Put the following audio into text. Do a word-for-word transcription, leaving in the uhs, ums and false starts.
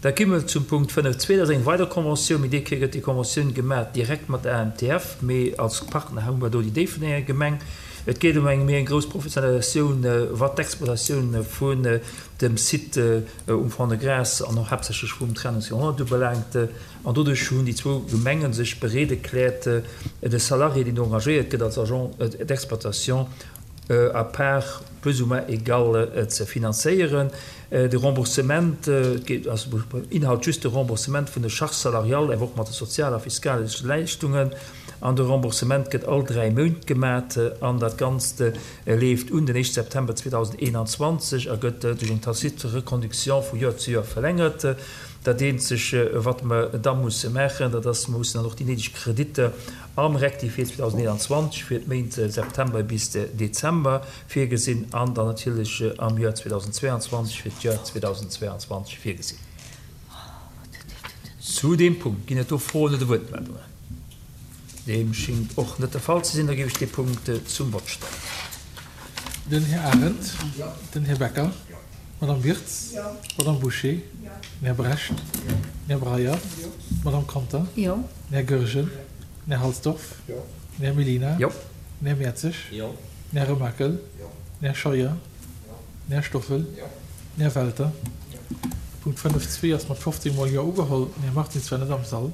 Da gi mer zum Punkt fënnef zwee, dat ass eng weider Conventioun, mee déi Kéier gëtt déi Conventioun gemaach direkt mat der A M T F, mee als Partner hu mer do déi Déifferdenger Gemeng. Et geet ëm eng méi eng grouss Professionalisatioun, wat d'Exploitatioun vun dem Site um Fond-de-Gras an och haaptsächlech vum Trennungsjahrhundert ubelaangt. An doduerch hunn déi zwou Gemenge sech bereet erkläert, de Salarié, deen do engagéiert gëtt als Agent d'exploitation, à part plus ou moins égale ze finanzéieren. De Remboursement geet, also Inhalt just de Remboursement vun de Charges salariales, awer och mat de sozial a fiskalesche Leischtungen. An de Remboursement gëtt all dräi Méint gemat an dat Ganzt leeft un den éischte September zweedausendeenanzwanzeg a gëtt duerch eng tacite Reconduction vu Joer zu Joer verlängert. Dat eenzeg, wat mer da musse maachen, dat ass, mer mussen dann och déi néideg Kreditter am Rectifié zweedausendeenanzwanzeg fir d'Méint September bis Dezember virgesinn an dann natierlech am Joer zweedausendzweianzwanzeg fir d'Joer zweedausendzweianzwanzeg virgesinn. Zu deem Punkt ginn et do Froen oder Wuertmeldungen? Deem schéngt och net de Fall ze sinn. Da géif ech dee Punkt zum Vott stellen. Den Här Arendt. Den Här Becker. D'Madame Wirtz. D'Madame Bouché. Den Här Brecht. Den Här Breyer. D'Madame Conter. Den Här Goergen. Den Här Halsdorf. Den Här Mellina. Den Här Mertzig. Den Här Remakel. Den Här Scheuer. Den Här Stoffel. Den Här Welter. Punkt fënnef zwee ass mat fofzéng mol Jo ugeholl. Den Här Martins war net am Sall.